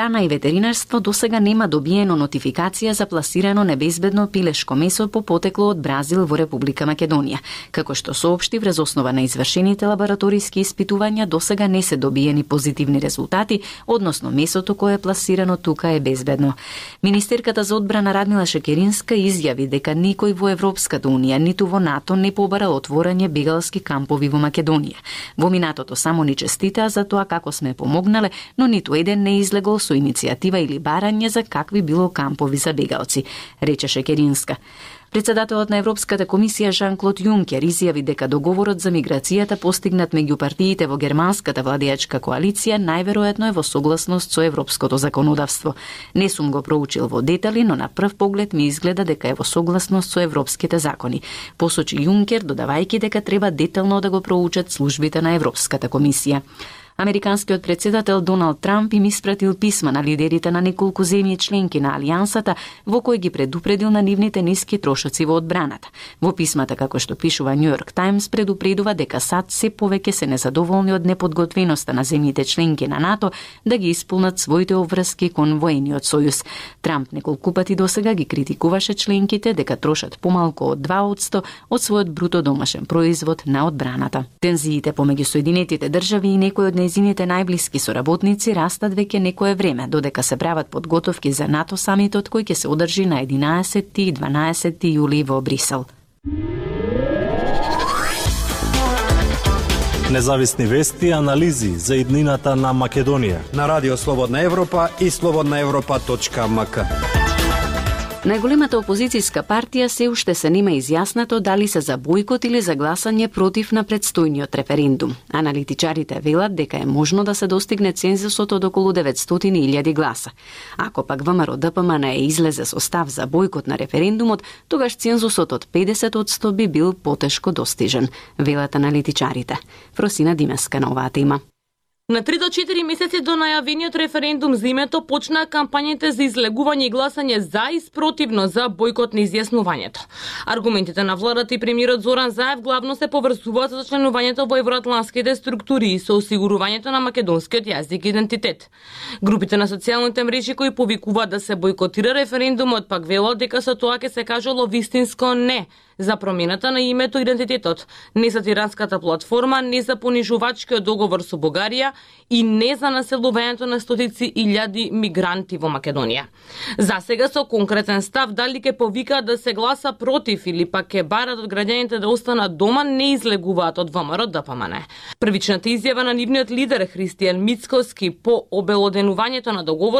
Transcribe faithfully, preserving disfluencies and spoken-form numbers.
Храна и ветеринарство досега нема добиено нотификација за пласирано небезбедно пилешко месо по потекло од Бразил во Република Македонија. Како што соопшти, врз основа на извршените лабораториски испитувања досега не се добиени позитивни резултати, односно месото кое е пласирано тука е безбедно. Министерката за одбрана Радмила Шекеринска изјави дека никој во Европската унија ниту во НАТО не побара отворање бегалски кампови во Македонија. Во минатото само ни честитаа за тоа како сме помогнале, но ниту еден не излегол со иницијатива или барање за какви било кампови за бегалци, рече Шекеринска. Председателот на Европската комисија Жан-Клод Јункер изјави дека договорот за миграцијата постигнат меѓу партиите во германската владеачка коалиција најверојатно е во согласност со европското законодавство. Не сум го проучил во детали, но на прв поглед ми изгледа дека е во согласност со европските закони, посочи Јункер, додавајќи дека треба детално да го проучат службите на Европската комисија. Американскиот председател Доналд Трамп им испратил писма на лидерите на неколку земји членки на Алијансата, во кои ги предупредил на нивните ниски трошоци во одбраната. Во писмата, како што пишува Нью Йорк Таймс, предупредува дека САД се повеќе се незадоволни од неподготвеноста на земјите членки на НАТО да ги исполнат своите обврски кон воениот сојуз. Трамп неколку пати досега ги критикуваше членките дека трошат помалку од два одсто од својот бруто домашен производ на одбраната. Тензиите помеѓу Соединетите држави и некои од нејзините најблиски соработници растат веќе некое време, додека се прават подготовки за НАТО самитот кој ќе се одржи на единаесетти и дванаесетти јули во Брисел. Независни вести и анализи за иднината на Македонија на Радио Слободна Европа и слободна европа точка ем ка. Најголемата опозицијска партија се уште се нема изјаснато дали се за бојкот или за гласање против на предстојниот референдум. Аналитичарите велат дека е можно да се достигне цензусот од околу деветстотини илјади гласа. Ако пак ВМРО Д П М Н е излезе со став за бојкот на референдумот, тогаш цензусот од педесет одсто би бил потешко достижен, велат аналитичарите. Фросина Димеска на оваа тема. На три до четири месеци до најавениот референдум за името почнаа кампањите за излегување и гласање за и спротивно за бојкот на изјаснувањето. Аргументите на владата и премиерот Зоран Заев главно се поврзуваат со членувањето во евроатланските структури и со осигурувањето на македонскиот јазик и идентитет. Групите на социјалните мрежи кои повикуваат да се бојкотира референдумот пак велат дека со тоа ќе се кажало вистинско не за промената на името и идентитетот, не за тиранската платформа, не за понижувачкиот договор со Бугарија и не за населувањето на стотици илјади мигранти во Македонија. За сега со конкретен став дали ќе повикаат да се гласа против или пак ќе барат од граѓаните да останат дома не излегуваат од ВМРО Д П М Н. Првичната изјава на нивниот лидер Христијан Мицкоски по обелоденувањето на договор